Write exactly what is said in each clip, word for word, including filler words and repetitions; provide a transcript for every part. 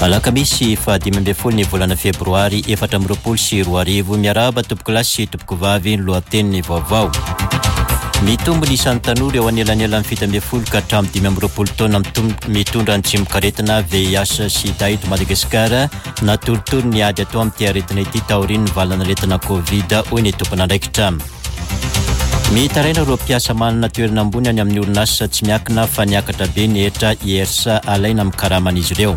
Alakamisy fahadimy ambin'ny folo ny volana febroary efatra amby roapolo sy roa arivo. Miarahaba tompokolahy sy tompokovavy, ny lohatenin'ny vaovao. Mitombo ny isan'ny tanora eo anelanelan'ny fito ambin'ny folo ka hatramin'ny dimy amby roapolo taona mitondra ny tsimokaretina V I H sida eto Madagasikara. Natoritory ny ady atao amin'ity aretina ity taorian'ny valanaretina Covid, hoy ny tompon'andraikitra. Mitaraina ireo mpiasa manana toerana ambony any amin'ny orinasa tsy miankina fa niakatra be ny hetra I R S A alaina amin'ny karaman'izy ireo.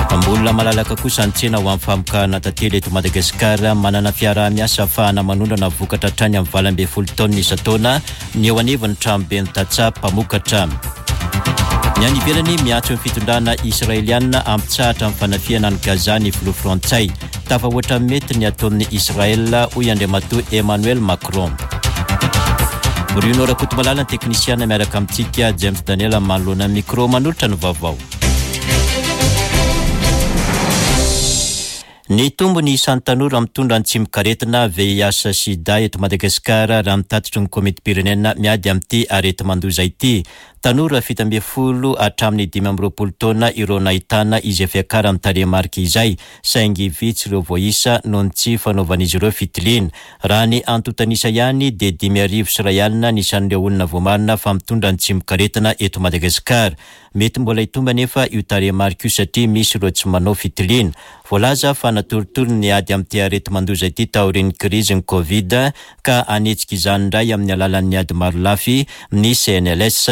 Mbola malalaka kosa ny tsena ho amin'ny famokarana tantely eto Madagasikara. Manana fiaraha-miasa ahafahana manondrana vokatra hatrany amin'ny valo ambin'ny folo taonina isan-taona ny eo anivon'ny tranoben'ny tantsaha mpamokatra. Ny any ivelany, miantso ny fitondrana israelianina hampitsahatra amin'ny fanafihana ny Gaza ny filoha frantsay. Tafahoatra mety ny ataon'ny Israel, hoy Andriamatoa Emmanuel Macron. Bruno Rakotomalala ny teknisiana miaraka amintsika, James Daniel manoloana micro manolotra ny vaovao. Nitombo ny isan'ny tanora mitondra ny tsimokaretina V I H sida eto Madagasikara, raha mitatitry ny komity-pirenena miady amin'ity areti-mandoza ity. Tanora fito ambin'ny folo hatramin'ny dimy amby roapolo taona ireo nahitana izay fiakaran'ny tarehimarika izay, saingy vitsy ireo voaisa noho ny tsy fanaovan'izy ireo fitiliana. Raha ny antontanisa ihany dia dimy arivo sy iray alina ny isan'ireo olona voamarina fa mitondra ny tsimokaretina eto Madagasikara. Mety mbola hitombo anefa io tarehimarika io satria misy ireo tsy manao fitiliana. Voalaza fa natoritory ny ady amin'ity areti-mandoza ity taorian'ny krizy ny Covid, ka hanetsika izany indray amin'ny alalan'ny ady marolafy ny C N L S.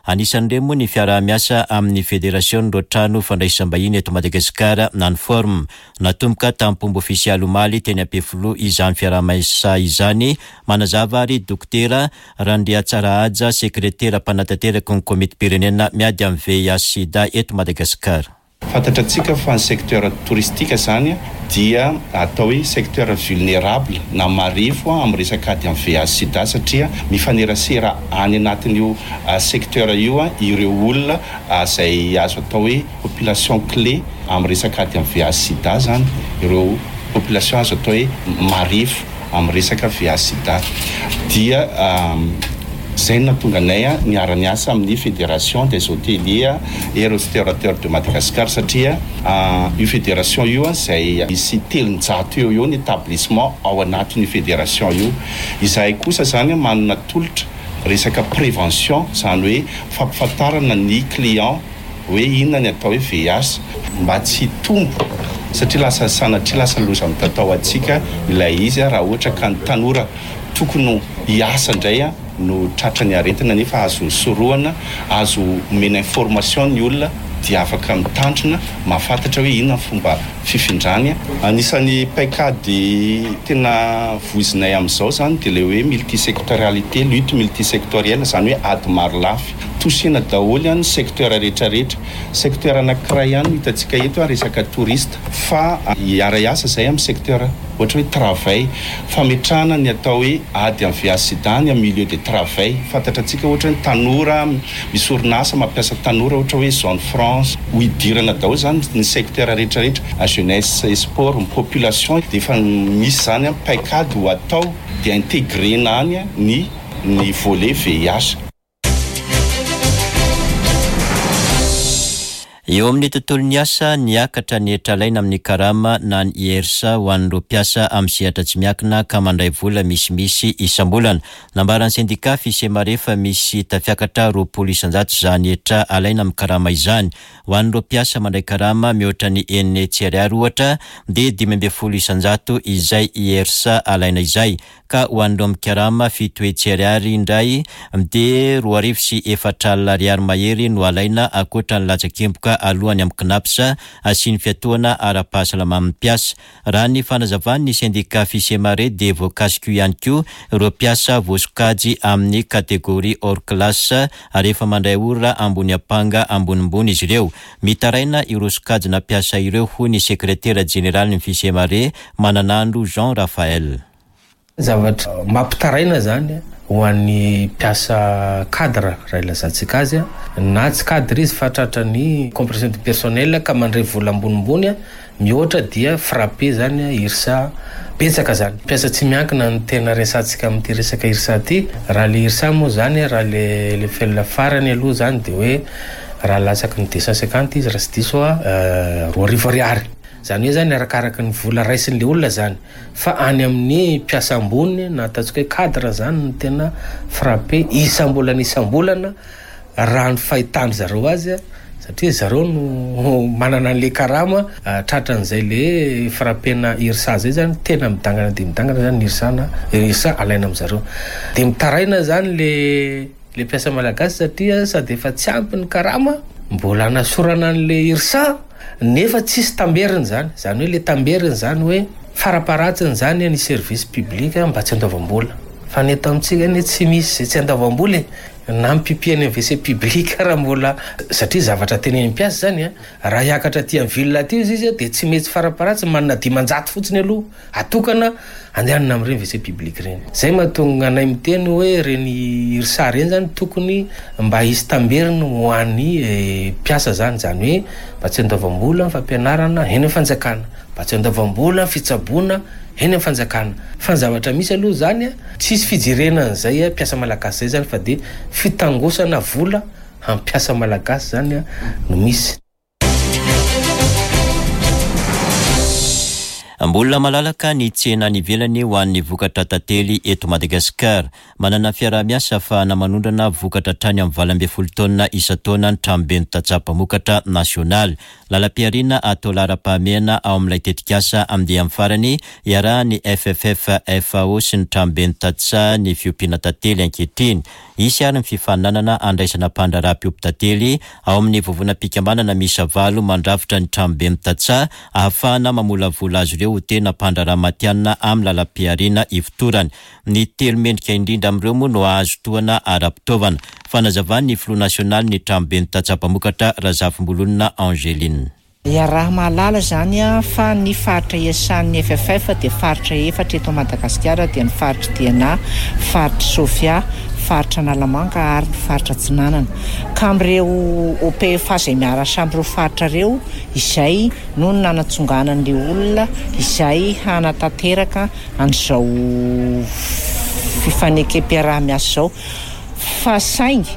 Anisan'ireny moa ny fiaraha-miasa amin'ny fédération ireo trano fandraisam-bahiny eto Madagasikara na ny Form. Natomboka tamin'ny ofisialy omaly teny Ampefiloha izany fiaraha-miasa izany. Manazava ary Dokotera Randriatsarahaja, sekretera mpanatanteraka ny komity-pirenena miady amin'ny V I H sida eto Madagasikara. Fantatra antsika fa ny secteur touristique zany dia atao hoe secteur vulnérable na marefo amin'ny resaka ady amin'ny V I H sida, satria mifanerasera any anatin'io secteur io a ireo olona zay azo atao hoe population clé amin'ny resaka ady amin'ny V I H sida zany, ireo population azo atao hoe marefo amin'ny resaka V I H sida. Dia zay no nahatonga anay a niara-niasa amin'ny Fédération des hôteliers et restaurateurs de Madagascar, satria io fédération io a zay misy telonjato eo eo ny établissement ao anatin'io fédération io. Izahay kosa zany manana tolotra resaka prévention, zany hoe fampifantarana ny client hoe inona ny atao hoe V I H, mba tsy hitombo, satria lasa sanatria lasa loza mitatao atsika ilay izy a raha ohatra ka ny tanora tokony hiasa indray a no tratra ny aretina, nefa azo sorohana, azo omena information ny olona dia afaka mitandrina, mahafantatra hoe inona ny fomba fifindrany. Anisan'ny paikady tena voizinay amin'izao zany dia le hoe multisectorialité, lutte multisectorielle, zany hoe ady marolafy, tosena daholo any secteur rehetrarehetra. Secteur anankiray ihany no hitantsika eto a resaka touriste, fa hiara-hiasa zay amin'ny secteur ohatra hoe travail, fametrahana ny atao hoe ady amin'ny V I H sida ny amin'ny milieu de travail. Fantatra antsika ohatra hoe tanora misy orinasa mampiasa tanora, ohatra hoe zone franche, ho idirana daholo zany ny secteur rehetrarehetra, jeunesse et sport, ny population. De efa misy zany a paikady ho atao dia intégrena any ny ny volet V I H. Eo amin'ny tontolo ny asa, niakatra ny hetra alaina amin'ny karama na ny I R S A ho an'ireo mpiasa amin'ny sehatra tsy miankina ka mandray vola misimisy isam-bolana. Nambaran'ny sendika Fisemare fa misy tafiakatra roapolo isanjato zany hetra alaina amin'ny karama izany. Ho an'ireo mpiasa mandray karama mihoatra ny enina hetsy ariary ohatra dia dimy ambin'ny folo isanjato izay I R S A alaina izay, ka ho an'ireo mikarama fito hetsy ariary indray dia roa arivo sy efatra alina ariary mahery no alaina, ankoatra ny latsakemboka alohany amin'ny C N A P S asiany fiatohana ara-pahasalaman'ny mpiasa. Raha ny fanazavany ny sendika Fisemare dia voakasika io ihany koa ireo mpiasa voasokajy amin'ny catégorie hors classe ary efa mandray ora ambony ampanga ambonimbony izy ireo. Mitaraina ireo sokajina mpiasa ireo, hoy ny sekretera jeneraly ny Fisemare, Mananandro Jean Raphaël. Zavatra mampitaraina zany ho an'ny mpiasa cadre raha ilazantsika azy a na tsy cadre izy fa tratra ny compression du personnel ka mandray vola ambonimbony a mihoatra dia frappé zany I R S A betsaka zany. Mpiasa tsy miankina ny tena resantsika amin'ity resaka I R S A ty. Raha le I R S A moa zany, raha le le fel farany aloha zany de hoe Raha latsaky ny deux cent cinquante izy, raha tsy diso a, roa arivo ariary. Zany hoe zany arakaraky ny vola raisin'le olona zany. Fa any amin'ny mpiasa ambony na ataontsika hoe cadre zany no tena frappé isam-bolana isam-bolana raha ny fahitany zareo azy, satria zareo no manana an'le karama tratran'izay le frappena IRSA zay zany tena midangana de midangana zany ny IRSA na IRSA alaina am'zareo. De mitaraina zany le le mpiasa malagasy satria sady efa tsy ampy ny karama mbola nasorana an'le IRSA nefa tsisy tamberiny zany. Zany hoe le tamberiny zany hoe faraparatsiny zany ny service public mba tsy andoavam-bola. Fa ny eto amintsika anie tsy misy zay tsy andoavam-bola e. Na mipipiany amin'ny W C public raha mbola, satria zavatra tenen'ny mpiasa zany a, raha hiakatra aty amin'ny ville aty izy izy de tsy maintsy faraparatsiny manana dimanjato fotsiny aloha atokana andehanana amin'ireny W C public reny. Zay mahatonga anay miteny hoe reny IRSA reny zany tokony mba hisy tamberiny ho an'ny mpiasa zany, zany hoe mba tsy andoavam-bola ny fampianarana eny amin'ny fanjakana, mba tsy andoavam-bola ny fitsaboana eny amin'ny fanjakana. Fa ny zavatra misy aloha zany a, tsisy fijerena an'izay a mpiasa malagasy zay zany, fa de fitangosana vola hampiasa malagasy zany a no misy. Mbola malalaka ny tsena any ivelany ho an'ny vokatra tantely eto Madagasikara. Manana fiaraha-miasa ahafahana manondrana vokatra hatrany amin'ny valo ambin'ny folo taonina isan-taona ny tranoben'ny tantsaha mpamokatra nasionaly. Lalam-pihariana atao laharam-pahamehana ao amin'ilay tetikasa andiany farany iarahan'ny F F F F A O sy ny tranoben'ny tantsaha ny fiompiana tantely ankehitriny. Hisy ary ny fifaninanana andraisana mpandraharaha mpiompy tantely ao amin'ny vovonam-pikambanana miisa valo mandrafitra ny tranoben'ny tantsaha ahafahana mamolavola azy ireo ho tena mpandraharaha matihanina amin'ny lalam-pihariana ifotorany. Ny telo mendrika indrindra amin'ireo moa no hahazo tohana ara-pitaovana. Fanazavan'ny filoha nasionaly ny tranoben'ny tantsaha mpamokatra, Razafimbololona Angeline. Iaraha mahalala zany a fa ny faritra iasan'ny F F F dia faritra efatra eto Madagasikara, dia ny faritra Diana, faritra Sofia, faritra Analamanga ary ny faritra Atsinanana. Ka amin'ireo O P F A izay miarasa amin'ireo faritra ireo izay no nanatsonganan'le olona izay hanatanteraka an'izao fifanekem-piaraha-miasa izao. Fa saingy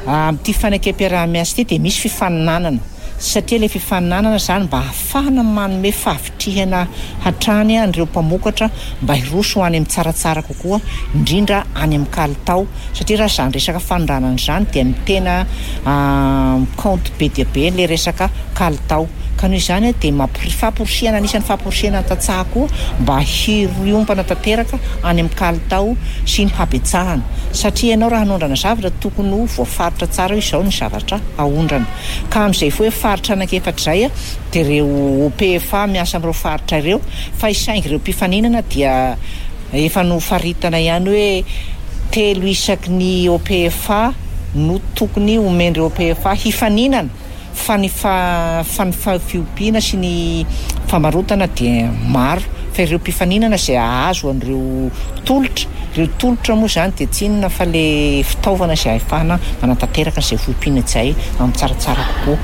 amin'ity fanekem-piaraha-miasa ity dia misy fifaninanana, satria le fifaninanana zany mba ahafahana manome fahavitrihana hatrany an'ireo mpamokatra mba hiroso ho any amin'ny tsaratsara kokoa, indrindra any amin'ny kalitao, satria raha zany resaka fanondranana zany dia mitena compte be dia be le resaka kalitao. Ka noho izany dia mampiri- famporisihana, anisan'ny famporisihana ny tantsaha koa mba hiriompana tanteraka any amin'ny kalitao sy ny habetsahana, satria ianao raha hanondrana zavatra tokony ho voafaritra tsara hoe izao ny zavatra aondrana. Ka amin'izay fo hoe faritra anankiefatra izay a dia ireo O P F A miasa amin'ireo faritra ireo. Fa isaingy ireo mpifaninana dia efa nofaritana ihany hoe telo isaky ny O P F A no tokony omen'ireo O P F A hifaninana. Fa ny fa fa ny fiompiana sy ny famarotana dia maro, fa ireo mpifaninana izay ahazo an'ireo tolotra ireo tolotra moa zany dia tsy inona fa le fitaovana izay ahafahana manatanteraka an'izay fiompiana izay amin'ny tsaratsara kokoa.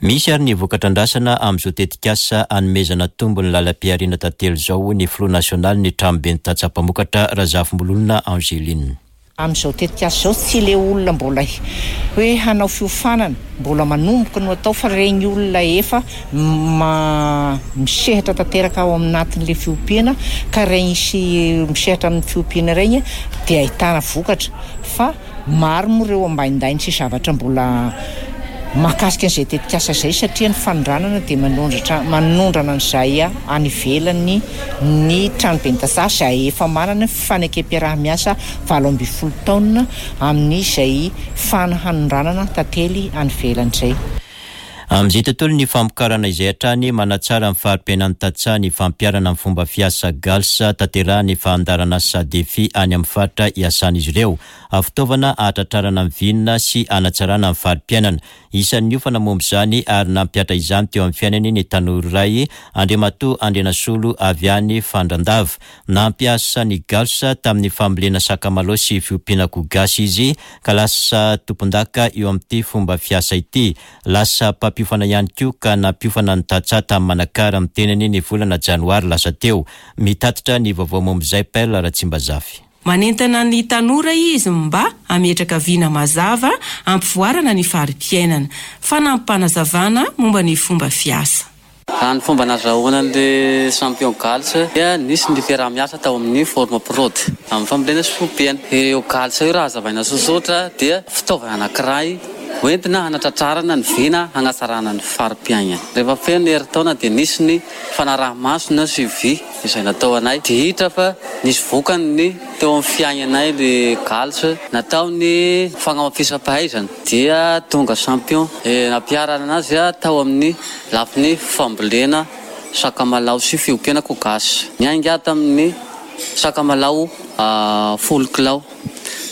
Misy ary ny vokatra andrasana amin'izao tetikasa anomezana tombony lalam-pihariana tantely izao, ny filoha nasionaly ny tranoben'ny tantsaha mpamokatra, Razafimbololona Angeline. Amin'izao tetikasa izao, tsy le olona mbola hoe hanao fiofanana mbola manomboka no atao, fa regny olona efa ma misehatra tanteraka ao aminatin'le fiompiana. Ka regny sy misehatra amin'ny fiompiana regny dia ahitana vokatra. Fa maro moa ireo ambaindainy sy zavatra mbola mahakasika an'izay tetikasa izay, satria ny fanondranana dia manondratra manondrana an'izay a any ivelany ny tranoben'ny tantsaha izay efa manana fifanekem-piaraha-miasa valo amby folo taona amin'izay fanondrana tantely any ivelany izay. Amin'izay tontolo ny famokarana izay hatrany, manatsara ny fari-piainan'ny tantsaha ny fampiharana amin'ny fomba fiasa GALS tanterahany fandaharanasa DEFI any amin'ny faritra iasan'izy ireo. Fitaovana ahatratrarana ny vina sy anatsarana ny fari-piainana. Isan'ny niofana momba izany ary nampihatra izany teo amin'ny fiainany ny tanora iray, Andriamatoa Andrianasolo avy any Fandrandava. Nampiasa ny GALS tamin'ny fambolena sakamalaho sy fiompiana akoho gasy izy ka lasa tompon-daka eo amin'ity fomba fiasa ity. Lasa mpampiofana ihany koa ka nampiofana ny tantsaha tamin'ny Manakara amin'ny tenany ny volana janoary lasa teo. Mitatitra ny vaovao momba izay Perle Ratsimbazafy. Manentana ny tanora izy mba hametraka vina mazava hampivoarana ny fari-piainana. Fanampim-panazavana momba ny fomba fiasa. Raha ny fomba nazahoana an'ilay champion GALS dia nisy ny fiaraha-miasa tao amin'ny Forme Prod amin'ny fambolena sy fiompiana. Ireo GALS io raha hazavaina tsotsotra dia fitaovana anankiray hoentina hanatratrarana ny vina hanatsarana ny fari-piainana. Rehefa feno ny herintaona dia nisy ny fanaraha-maso na suivi izay natao anay. Dia hita fa nisy vokany ny teo amin'ny fiainanay le GALS. Natao ny fagnamafisam-pahaizana dia tonga champion. Nampiharana azy tao amin'ny lafiny fambolena sakamalao sy fiompiana akoho gasy. Niainga tamin'ny sakamalao folo kilao.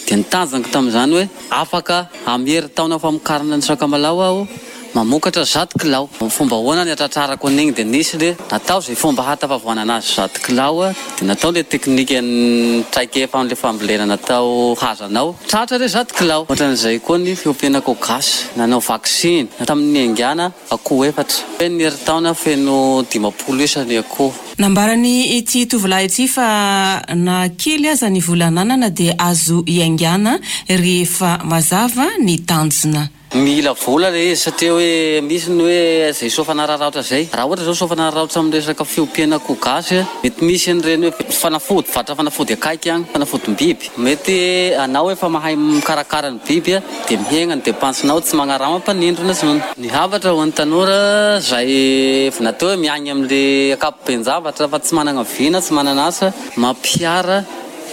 Dia nitanjaka tamin'izany hoe afaka amin'ny herintaona famokarana ny sakamalao aho mamokatra zato kilao. Fomba ahoana ny hatratrarako an'igny dia nisy le natao izay fomba hatafavoanana azy zato kilao, dia natao le teknika ny traikefa amin'le fambolena natao hazanao. Tratra le zato kilao. Ohatran'izay koa ny fiompiana akoho gasy. Nanao vaksiny tamin'ny niaingàna akoho efatra. Feno ny herintaona feno dimampolo isa ny akoho. Nambarany ity tovolahy ity fa na kely aza ny vola ananana dia azo iaingàna rehefa mazava ny tanjona. Mila vola le izy satria hoe misy ny hoe izay soa fanararaotra izay. Raha ohatra izao soa fanararaotra amin'ny resaka fiompiana akoho gasy, mety misy an'ireny hoe fanafody, varotra fanafody akaiky agny, fanafodim-biby. Mety anao efa mahay mikarakara ny biby dia mihena ny dépense-nao, tsy magnarama mpanindrona intsony. Ny hafatra ho an'ny tanora izay natao hoe miaigny amin'le ankapoben-javatra fa tsy manana vina, tsy manana asa, mampiara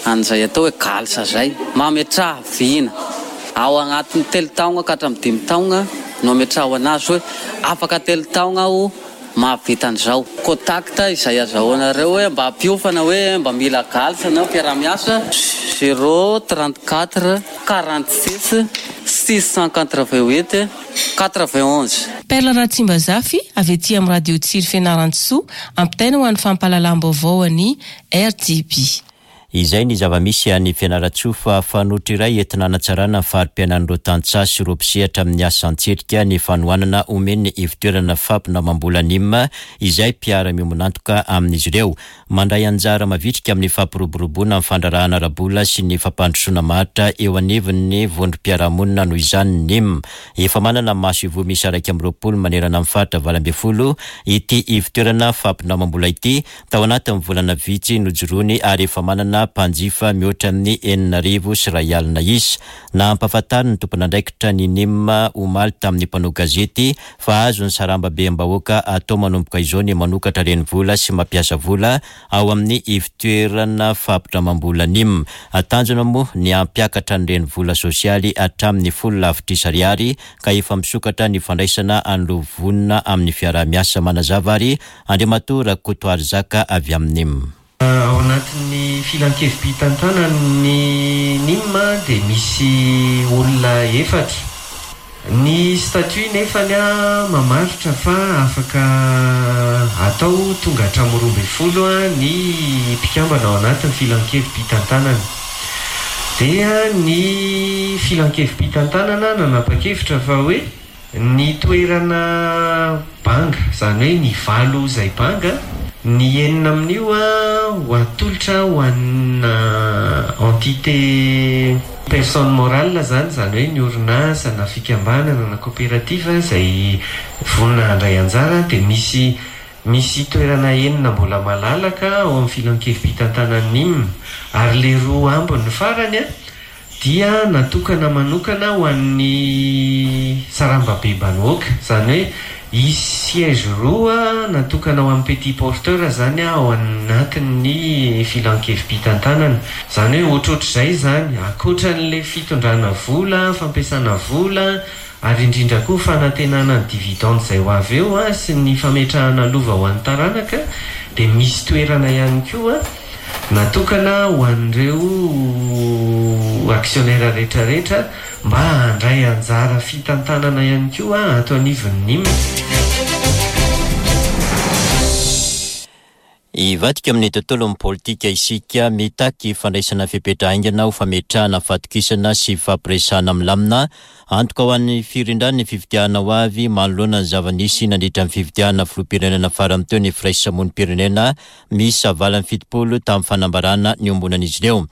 an'izay atao hoe GALS izay. Mametraha vina. Ao agnatin'ny telo taogna ka hatramin'ny dimy taogna no ametraho anazy hoe afaka telo taogna aho mahavita an'izao. Contact izay azahoanareo hoe mba hampiofana hoe mba mila GALS na mpiara-miasa zéro trente-quatre quarante-six six cent quatre-vingt-huit quatre-vingt-onze. Perla Ratsimbazafy avy aty amin'ny radio Tsiry Fianarantsoa, ampitaina ho an'ny fampahalalam-baovao an'ny R T B. Izay ny zava-misy any Fianarantsoa fa fanoitra iray entina hanatsarana ny fari-piainan'ireo tantsaha sy ireo mpisehatra amin'ny asa an-tselika ny fanohanana omen'ny ivontoerana fampinamam-bola N I M izay mpiara-miombon'antoka amin'izy ireo. Mandray anjara mavitrika amin'ny fampiroboroboana ny fandraharahana ara-bola sy ny fampandrosoana maharitra eo anivon'ny vondrom-piarahamonina noho izany N I M. Efa manana maso ivoho miisa iraika amby roapolo manerana amin'ny faritra valo ambin'ny folo ity ivontoerana fampinamam-bola ity tao anatin'ny volana vitsy nojoroany ary efa manana mpanjifa mihoatra amin'ny enina arivo sy iray alina isa. Nampahafantariny ny tompon'andraikitra ny N I M omaly tamin'ny mpanao gazety fa azon'ny sarambabem-bahoaka atao manomboka izao ny manokatra renivola sy mampiasa vola ao amin'ny ivontoerana fampindramam-bola N I M. Tanjona moa ny hampiakatra ny renivola sosialy hatramin'ny folo lavitrisa ariary ka efa misokatra ny fandraisana an'ireo vonona amin'ny fiaraha-miasa. Manazava ary Andriamatoa Rakotoarizaka avy amin'ny N I M. Ao anatin'ny filankevi-pitantanan'ny N I M dia misy olona efatra. Ny statut nefany a mamaritra fa afaka atao tonga hatramin'ny roa ambin'ny folo ny mpikambana ao anatin'ny filankevi-pitantanana. Dia ny filankevi-pitantanana nanapa-kevitra fa hoe ny toerana banga, izany hoe ny valo izay banga, ny enina amin'io a ho atolotra ho an'na entité personne morale zany, izany hoe ny orinasa na fikambanana na coopérative izay vonona handray anjara, dia misy, misy toerana enina mbola malalaka ao amin'ny filankevi-pitantanan'ny N I M. Ary le roa ambiny farany a dia natokana manokana ho an'ny sarambabem-bahoaka, izany hoe hisy siège roa natokana ho an'ny petit porteur zany a ao anatin'ny filankevi-pitantanana. Izany hoe ohatrohatr'izay zany, ankoatran'le fitondrana vola, fampiasana vola, ary indrindra koa fanantenana ny dividende izay ho avy eo a sy ny fametrahana lova ho an'ny taranaka, dia misy toerana ihany koa natokana ho an'ireo actionnaire rehetrarehetra mba handray anjara fitantanana ihany koa ato anivon'ny N I M. Hivadika amin'ny tontolon'ny politika isika, mitaky fandraisana fepetra haingana ho fametrahana fahatokisana sy fampiresahana milamina. Antoka ho an'ny firindran'ny fifidianana ho avy manoloana ny zava-nisy nandritra ny fifidianana filoham-pirenena farany teo ny firaisamonim-pirenena miisa valo amby fitopolo tamin'ny fanambarana niombonan'izy ireo.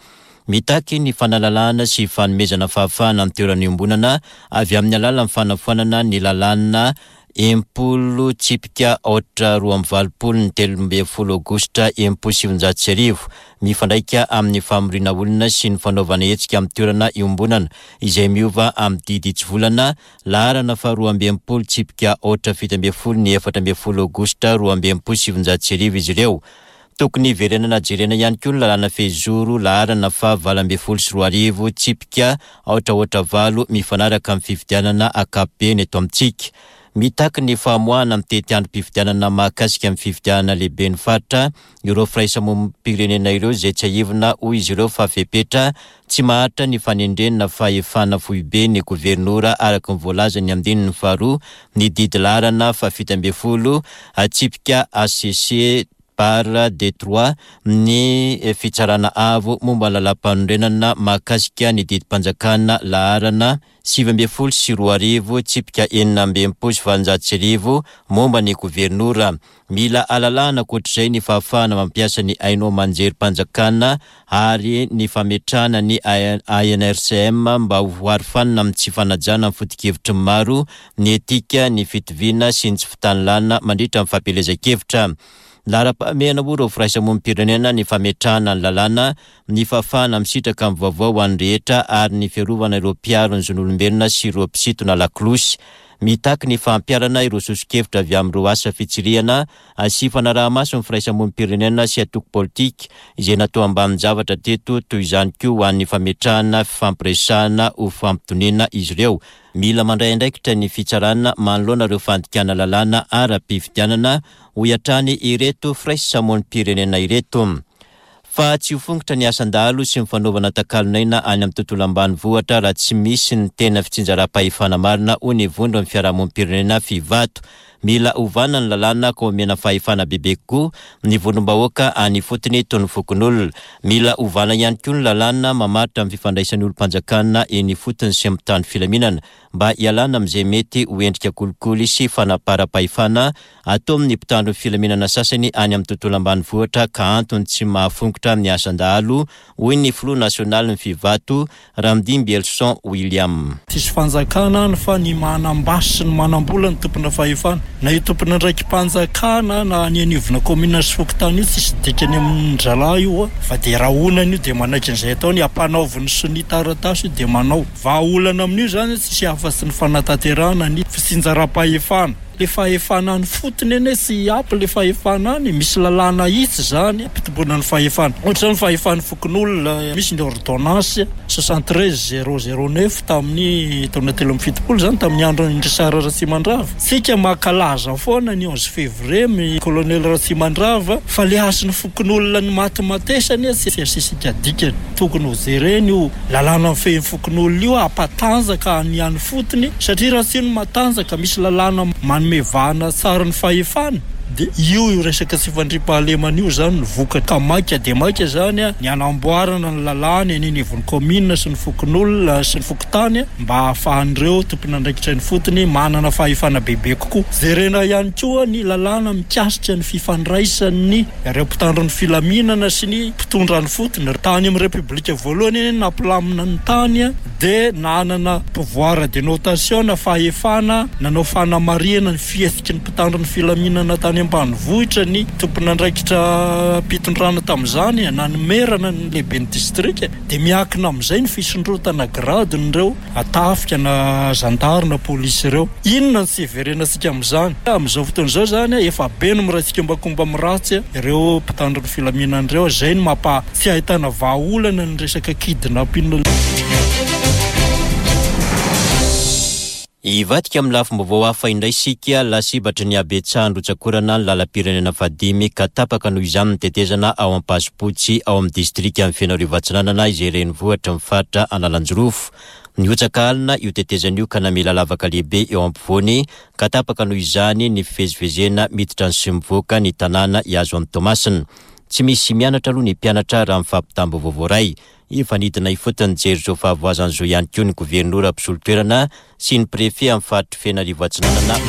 Mitaky ny fanalalahana sy fanomezana fahafahana ny toerana iombonana avy amin'ny alalan'ny fanafoanana ny lalàna enimpolo tsipika aotra roa amby valopolo ny telo ambin'ny folo aogositra enimpolo sy sivinjato sy arivo, mifandraika amin'ny famoriana olona sy ny fanaovana hetsika amin'ny toerana iombonana izay miova amin'ny didy tsy volana laharana faharoa amby enimpolo tsipika aotra fito ambin'ny folo ny efatra ambin'ny folo aogositra roa amby enimpolo sy sivinjato sy arivo izy ireo. Tokony hiverenana jerena ihany koa ny lalàna fehizoro laharana faha valo ambin'ny folo sy roa arivo tsipika aotra aotra valo mifanaraka amin'ny fifidianana ankapobeny eto amintsika. Mitaky ny famoahana amin'ny tetiandrom-pifidianana mahakasika amin'ny fifidianana lehibe ny faritra ireo firaisamonim-pirenena ireo izay tsiahivina, hoy izy ireo, fa fepetra tsy maharitra ny fanendrena fahefana foibe ny governora araka ny voalazan'ny andininy faharoa ny didy laharana fahafito ambin'ny folo tsipika A C C barre D trois ny fitsarana avo momba ny lalàm-panorenana mahakasika ny didim-panjakana laharana sivy ambin'ny folo sy roa arivo tsipika enina amby enimpolo sy valonjato sy arivo momba ny governora. Mila alalahana ankoatr'izay ny fahafahana mampiasa ny haino aman-jerim-panjakana ary ny fametrahana ny A N R C M mba ho arofanina amin'ny tsy fanajana ny foto-kevitry ny maro, ny etika, ny fitoviana sy ny tsy fitanilana mandritra ny fampielezan-kevitra. Laharam-pahamehana, hoy ireo firaisamonim-pirenena, ny fametrahana ny lalàna, ny fahafahana misitraka ny vaovao ho an'ny rehetra ary ny fiarovana ireo mpiaro ny zon'olombelona sy ireo mpisintona lakolosy. Mitaky ny fampiharana ireo soso-kevitra avy amin'ireo asa fitsirihana sy fanaraha-maso ny firaisamonim-pirenena sy antoko politika izay natao ambanin-javatra teto, toy izany koa ho an'ny fametrahana fifampiresahana ho fampitoniana izy ireo. Mila mandray andraikitra ny fitsarana manoloana ireo fandikana lalàna ara-pifidianana, hoy hatrany ireto firaisamonim-pirenena ireto. Fa tsy ho fongotra ny asan-dahalo sy ny fanaovana takalon'aina any amin'ny tontolo ambanivohitra raha tsy misy ny tena fitsinjaram-pahefana marina, hoy ny vondron'ny fiarahamonim-pirenena Fivato. Mila ovana ny lalàna ka omena fahefana bebe kokoa ny vondrom-bahoaka any ifotony toy ny fokonolona. Mila ovana ihany koa ny lalàna mamaritra amin'ny fifandraisan'ny olom-panjakana eny ifotony sy amin'ny filaminana mba hialana amin'izay mety ho endrika kolikoly sy fanaparam-pahefana atao amin'ny mpitandro ny filaminana sasany any amin'ny tontolo ambanivohitra ka antony tsy mahafongotra ny asan-dahalo, hoy ny filoha nasionaly ny Fivato, Ramdimbielson William. Tsisy fanjakana any fa ny manam-basy sy ny manam-bola ny tompona fahefana, na io tompona ndraiky-mpanjakana na ny anivona commune sy fokontany io, tsisy dikany amin-dralahy io a, fa de rahonana io de manaiky an'izay ataony ampanaoviny sonia taratasy io de manao. Vahaolana amin'io zany tsisy afa-tsy ny fanatanterahana ny fitsinjaram-pahefana. Le fahefana any fotony eny tsy ampy le fahefana any, misy lalàna hitsy zany ampitomboana ny fahefana, ohatra zany fahefan'ny fokonolona, misy ny ordonnance soixante treize zéro zéro neuf tamin'ny taona telo amby fitopolo zany, tamin'ny andro Richard Ratsimandrava. Tsika mankalaza foana ny onze février mi colonel Ratsimandrava, fa le hasin'ny fokonolona ny matimatesany tsy asisika dikany. Tokony ho jereny io lalàna mifehy fokonolona io, ampatanjaka ny any fotony, satria raha tsy io no matanjaka, misy lalàna manome vahana tsara ny fahefana, de io io resaka tsy fandriampahalemana io zany ny vokatra. Ka maika de maika zany a ny anamboarana ny lalàna eny anivon'ny commune sy ny fokonolona sy ny fokontany mba ahafahan'ireo tompona andraikitra ny fotony manana fahefana bebe kokoa. Jerena ihany koa ny lalàna mikasika ny fifandraisan'ny ireo mpitandro ny filaminana sy ny mpitondra ny fotony. Tany amin'ny Repoblika voalohany eny nampilamina ny tany de nanana pouvoir de notation na fahefana nanao fanamarihana ny fihetsiky ny mpitandro ny filaminana tany ambanivohitra ny tompona andraikitra mpitondrana tamin'izany, na ny maire na ny lehibe ny distrika, de miakina amin'izay ny fisondrotana gradin'ireo atafika na zandary na polisy ireo. Inona ny tsy hiverenantsika amin'izany amin'izao fotoana izao zany? Efa be no miray tsikombakomba miratsy ireo mpitandro ny filaminana ireo, zay no mampa tsy ahitana vahaolana ny resaka kidnapping. Hivadika amin'ny lafim-baovao hafa indray sika. Lasibatry ny habetsahan'ny rotsakorana ny lalam-pirenena fahadimy ka tapaka noho izany ny tetezana ao Ampasipotsy, ao amin'ny distrika amin'ny Fenoarivo Atsinanana, izay renivohitra ny faritra Analanjirofo. Nihotsaka alina io tetezana io ka namela lavaka lehibe eo ampovoany ka tapaka noho izany ny fivezivezena miditra ny sy mivoaka ny tanàna hiazo an'i Toamasina. Tsy misy mianatra aloha ny mpianatra, raha mifampitam-baovao voaray. Efa nidina ifotony nijery izao fahavoazan'izao ihany koa ny governora mpisolo toerana sy ny préfet amin'ny faritry Fenoarivo Atsinanana.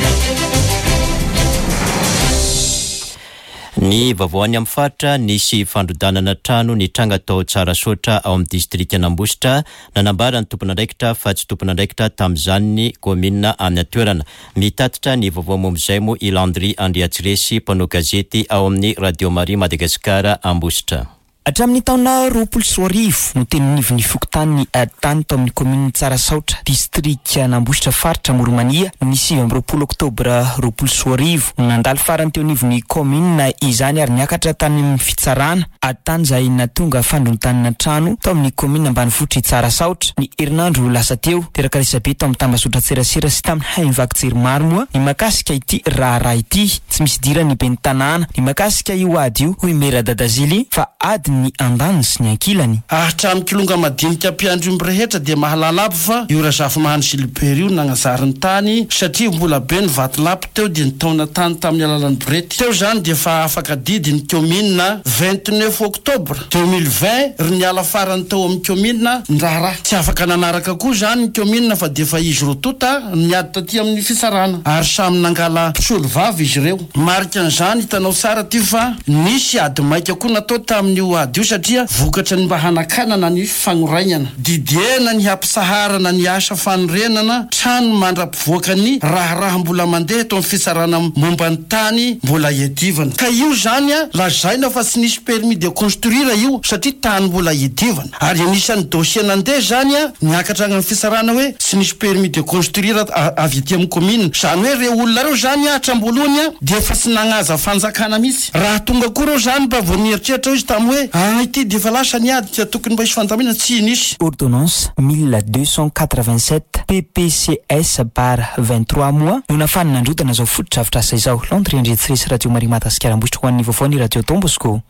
Ny vaovao any amin'ny faritra: nisy fandrodanana trano nitranga tao Tsarasaotra ao amin'ny distrikan'Ambositra. Nanambara ny tompon'andraikitra fa tsy tompon'andraikitra tamin'izany ny kaominina any an-toerana. Mitatitra ny vaovao momba izay moa i Landry Andriatsiresy, mpanao gazety ao amin'ny Radio Maria Madagasikara Ambositra. Hatramin'ny taona roapolo sy roa arivo no teny anivon'ny fokontany ady tany tao amin'ny kaominina Tsarasaotra, distrikan'Ambositra, faritra Amoron'i-Mania, ny sivy amby roapolo oktobra roapolo sy roa arivo no nandalo farany teo anivon'ny kaominina izany ary niakatra tany amin'ny fitsarana. Ady tany izay nahatonga fandrontanana trano tao amin'ny kaominina ambanivohitr'i Tsarasaotra ny herinandro lasa teo. Teraka resabe tao amin'ny tambazotran-tserasera sy tamin'ny haino vaky jery maro moa ny mahakasika ity raharaha ity. Tsy misy idiran'ny ben'ny tanàna ny mahakasika io ady io, hoy Mera Dadazily, fa ady ny andaniny sy ny ankilany. Hatramin'ny kilonga madinika mpiandry omby rehetra dia mahalala aby fa io Razafimahany Gilbert io nagnazary ny tany satria mbola be ny vatolampy teo dia nitaona tany tamin'ny alalan'ny borety. Teo zany dia efa afaka didy ny kaominina vingt-neuf octobre deux mille vingt ry niala farany tao amin'ny kaominina ny raharaha. Tsy afaka nanaraka koa zany ny kaominina fa dia efa izy roa tonta niady taty amin'ny fitsarana ary samy nangala mpisolo vava izy ireo. Marika an'izany hitanao tsara ty fa nisy ady maika koa natao tamin'io ady io satria vokatra ny mba hanakanana ny fagnorainana. Didiena ny hampisaharana ny asa fanorenana trano mandra-pivoaka ny raharaha mbola mandeha eto amin'ny fitsarana momba ny tany mbola iadivana. Ka io zany a lazaina fa tsy nisy permis de construire io satria tany mbola iadivana. Ary anisan'ny dossier nandeha zany a niakatra any amin'ny fitsarana hoe tsy nisy permis de construire avy aty amin'ny commune. Zany hoe reo olona reo zany a hatramin'ny voalohany a dia efa tsy nagnaza fanjakana mihitsy. Raha tonga koa reo zany mba vao nieritreritra izy tamin'ny hoe ah ity dia efa lasa ny ady ka tokony mba hisy fandaminana, tsy nisy. Ordonnance mille deux cent quatre-vingt-sept P P C S barre vingt-trois moa no nahafahana nandrodana izao fotodrafitrasa izao. Landry Andriatsiresy, Radio Maria Madagasikara Ambositra, ho an'ny vaovao ny Radio Don Bosco.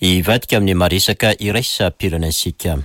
Hivadika amin'ny maresaka iraisam-pirenentsika.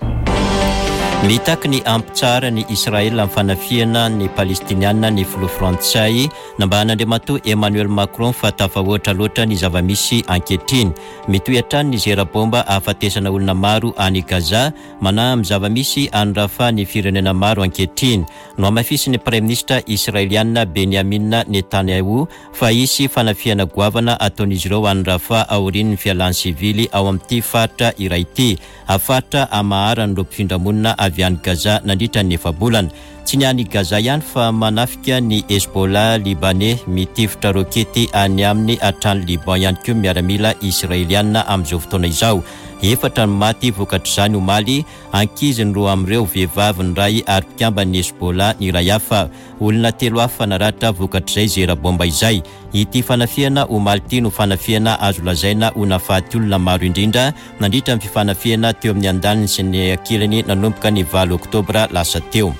Mitaky ny hampitsaharan'i Israel amin'ny fanafihana ny Palestiniana ny filoha frantsay. Nambaran'Andriamatoa Emmanuel Macron fa tafahoatra loatra ny zava-misy ankehitriny. Mitohy hatrany ny zera bomba ahafatesana olona maro any Gaza. Manahy amin'ny zava-misy any Rafah ny firenena maro ankehitriny. Nohamafisin'ny praiminisitra israeliana Benjamin Netanyahu fa hisy fanafihana goavana ataon'izy ireo any Rafah aorian'ny fialan'ny sivily ao amin'ity faritra iray ity. Faritra amaharan'ireo mpifindramonina avy any Gaza nandritra ny efa-bolana. Tsy ny any Gaza ihany fa manafika ny Hezbollah libanais, mitifitra rokety any aminy hatrany Liban ihany koa miaramila israeliana amin'izao fotoana izao. Efatra ny maty vokatr'izany omaly, ankizy ny roa amin'ireo, vehivavy ny iray ary mpikamban'ny Hezbollah ny iray hafa. Olona telo hafa naratra vokatr'izay zera bomba izay. Ity fanafihana omaly ity no fanafihana azo lazaina ho nahafaty olona maro indrindra nandritra ny fifanafihana teo amin'ny andaniny sy ny ankilany nanomboka ny valo oktobra lasa teo.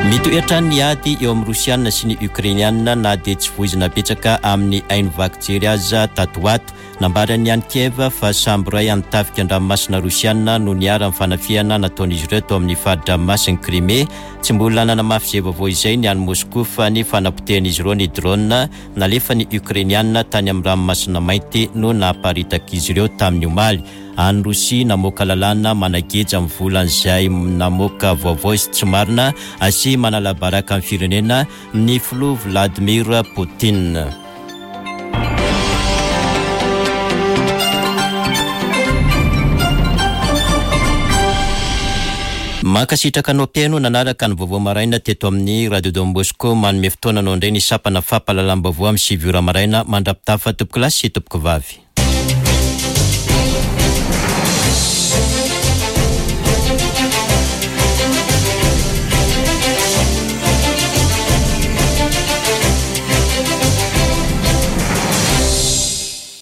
Mitohy hatrany ny ady eo amin'ny Rosiana sy ny Ukrainiana na dia tsy voizina betsaka amin'ny haino vaky jery aza tato ato. Nambaran'ny any Kiev fa sambo iray an'ny tafika an-dranomasina rosiana no niharan'ny fanafihana nataon'izy ireo tao amin'ny fari-dranomasin'i Crimée. Tsy mbola nanamafy izay vaovao izay ny any Moscou fa ny fanapotehan'izy ireo ny drone nalefan'ny Ukrainiana tany amin'ny ranomasina Mainty no namparitak'izy ireo tamin'ny omaly. Any Rosia, namoaka lalàna manageja amin'ny volan'izay namoaka vaovao izy tsy marina sy manala baraka amin'ny firenena ny filoha Vladimir Poutine. Mankasitraka anao mpihaino nanaraka ny vaovao maraina teto amin'ny Radio Don Bosco. Manome fotoana anao indray ny sampana fampahalalam-baovao amin'ny sivy ora maraina. Mandra-pitafa, tompoko lahy sy tompoko vavy.